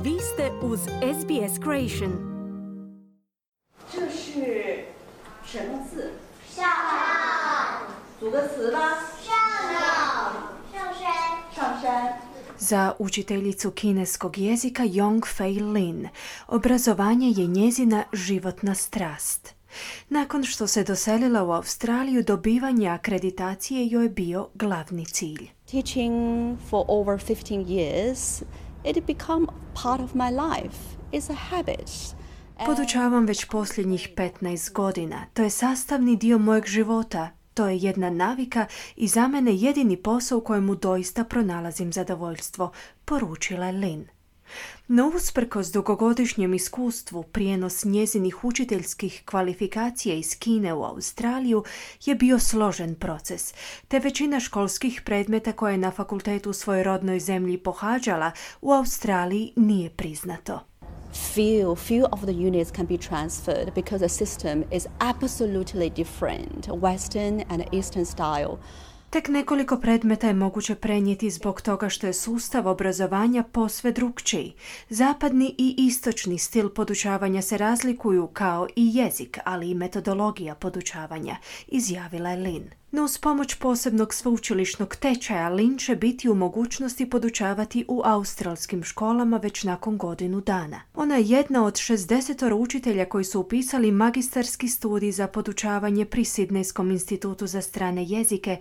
Vi ste uz SBS Creation. 这是什么字？上。组个词吧。上山。 Za učiteljicu kineskog jezika Yong Fei Lin, obrazovanje je njezina životna strast. Nakon što se doselila u Australiju, dobivanje akreditacije joj je bio glavni cilj. Teaching for over 15 years, it had become part of my life. It's a habit. Podučavam već posljednjih 15 godina. To je sastavni dio mojeg života. To je jedna navika i za mene jedini posao u kojemu doista pronalazim zadovoljstvo, poručila je Lin. No usprkos dugogodišnjem iskustvu, prijenos njezinih učiteljskih kvalifikacija iz Kine u Australiju je bio složen proces, te većina školskih predmeta koje je na fakultetu u svojoj rodnoj zemlji pohađala u Australiji nije priznato. Few of the units can be transferred because the system is absolutely different, Western and Eastern style. Tek nekoliko predmeta je moguće prenijeti zbog toga što je sustav obrazovanja posve drukčiji. Zapadni i istočni stil podučavanja se razlikuju kao i jezik, ali i metodologija podučavanja, izjavila je Lin. No uz pomoć posebnog sveučilišnog tečaja Lin će biti u mogućnosti podučavati u australskim školama već nakon godinu dana. Ona je jedna od 60 učitelja koji su upisali magistarski studij za podučavanje pri Sidnejskom institutu za strane jezike,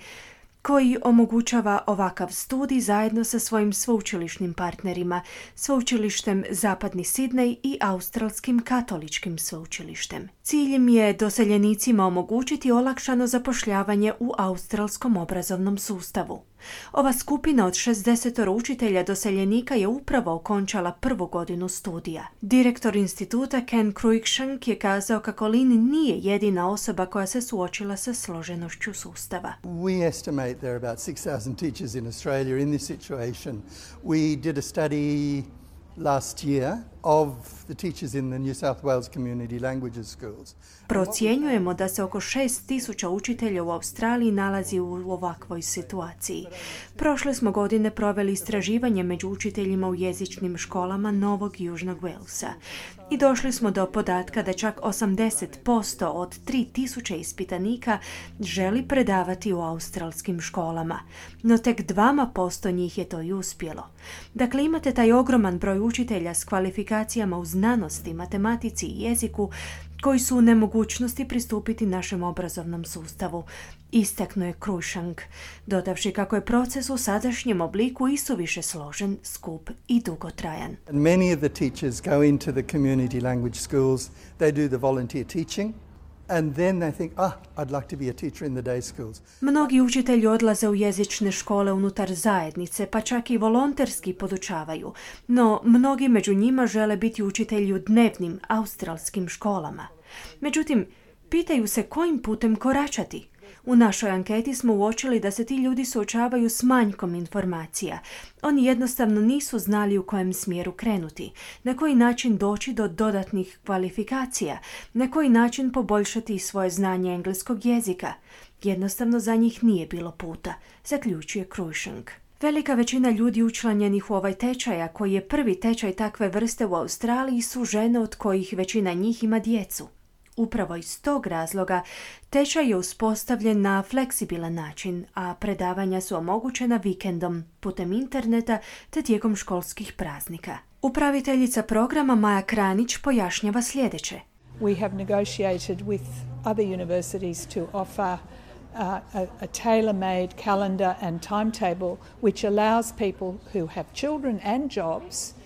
koji omogućava ovakav studij zajedno sa svojim sveučilišnim partnerima, sveučilištem Zapadni Sidnej i Australskim katoličkim sveučilištem. Cilj im je doseljenicima omogućiti olakšano zapošljavanje u australskom obrazovnom sustavu. Ova skupina od 60 učitelja doseljenika je upravo okončala prvu godinu studija. Direktor instituta Ken Cruikshank je kazao kako Lin nije jedina osoba koja se suočila sa složenošću sustava. We estimate there are about 6,000 teachers in Australia in this situation. We did a study last year of the teachers in the New South Wales Community Languages Schools. Procjenjujemo da se oko 6,000 učitelja u Australiji nalazi u ovakvoj situaciji. Prošle smo godine proveli istraživanje među učiteljima u jezičnim školama Novog Južnog Walesa i došli smo do podatka da čak 80% od 3,000 ispitanika želi predavati u australskim školama, no tek 2% njih je to i uspjelo. Dakle, imate taj ogroman broj učitelja s kvalifikacijama u znanosti, matematici i jeziku koji su u nemogućnosti pristupiti našem obrazovnom sustavu, istaknuo je Cruikshank, dodavši kako je proces u sadašnjem obliku isuviše složen, skup i dugotrajan. Many of the teachers go into the community language schools, they do the volunteer teaching, and then they think, I'd like to be a teacher in the day schools. Mnogi učitelji odlaze u jezične škole unutar zajednice, pa čak i volonterski podučavaju, no mnogi među njima žele biti učitelji u dnevnim australskim školama. Međutim, pitaju se kojim putem koračati. U našoj anketi smo uočili da se ti ljudi suočavaju s manjkom informacija. Oni jednostavno nisu znali u kojem smjeru krenuti, na koji način doći do dodatnih kvalifikacija, na koji način poboljšati svoje znanje engleskog jezika. Jednostavno za njih nije bilo puta, zaključuje Cruikshank. Velika većina ljudi učlanjenih u ovaj tečaj, a koji je prvi tečaj takve vrste u Australiji, su žene od kojih većina njih ima djecu. Upravo iz tog razloga tečaj je uspostavljen na fleksibilan način, a predavanja su omogućena vikendom, putem interneta te tijekom školskih praznika. Upraviteljica programa Maja Kranić pojašnjava sljedeće. We have negotiated with other universities to offer a tailor-made calendar and timetable which allows people who have children and jobs.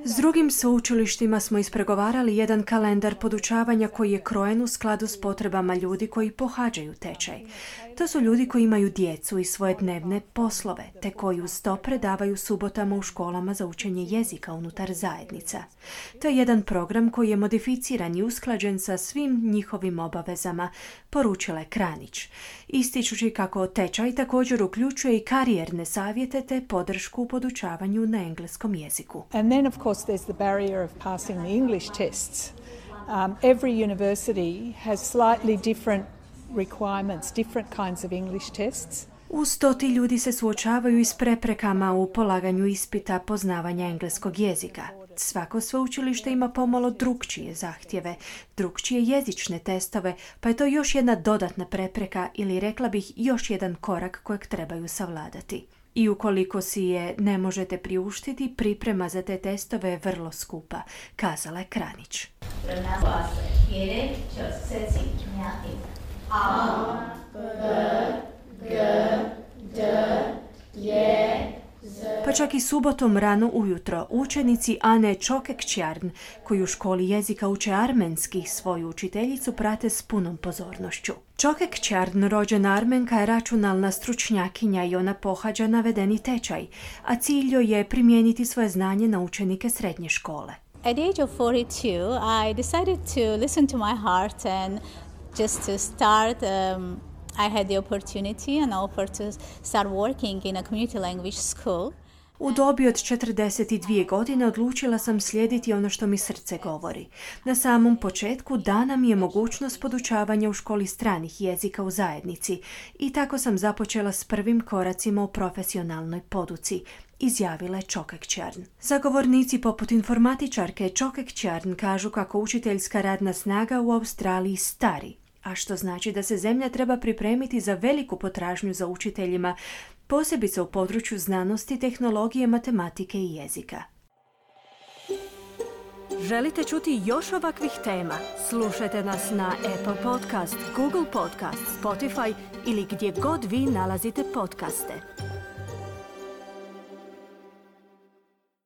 S drugim sveučilištima smo ispregovarali jedan kalendar podučavanja koji je krojen u skladu s potrebama ljudi koji pohađaju tečaj. To su ljudi koji imaju djecu i svoje dnevne poslove, te koji uz to predavaju subotama u školama za učenje jezika unutar zajednica. To je jedan program koji je modificiran i usklađen sa svim njihovim obavezama, poručila je Kranić, ističući kako tečaj također uključuje i karijerne savjete te podršku u podučavanju na engleskom jeziku. And then of course there's the barrier of passing the English tests. Every university has slightly different requirements, different kinds of English tests. Uz to ti ljudi se suočavaju i s preprekama u polaganju ispita poznavanja engleskog jezika. Svako sveučilište ima pomalo drukčije zahtjeve, drukčije jezične testove, pa je to još jedna dodatna prepreka ili rekla bih još jedan korak kojeg trebaju savladati. I ukoliko si je ne možete priuštiti, priprema za te testove je vrlo skupa, kazala je Kranić. Pa čak i subotom rano ujutro učenici Ane Čokekćarn, koji u školi jezika uče armenski, svoju učiteljicu prate s punom pozornošću. Čokekćarn, rođena Armenka, je računalna stručnjakinja i ona pohađa navedeni tečaj, a cilj joj je primijeniti svoje znanje na učenike srednje škole. At the age of 42, I decided to listen to my heart and just to start I had the opportunity and offer to start working in a community language school. U dobi od 42 godine odlučila sam slijediti ono što mi srce govori. Na samom početku dana mi je mogućnost podučavanja u školi stranih jezika u zajednici i tako sam započela s prvim koracima u profesionalnoj poduci, izjavila je Čokekćarn. Zagovornici poput informatičarke Čokekćarn kažu kako učiteljska radna snaga u Australiji stari, a što znači da se zemlja treba pripremiti za veliku potražnju za učiteljima, posebice u području znanosti, tehnologije, matematike i jezika. Želite čuti još ovakvih tema? Slušajte nas na Apple Podcast, Google Podcast, Spotify ili gdje god vi nalazite podcaste.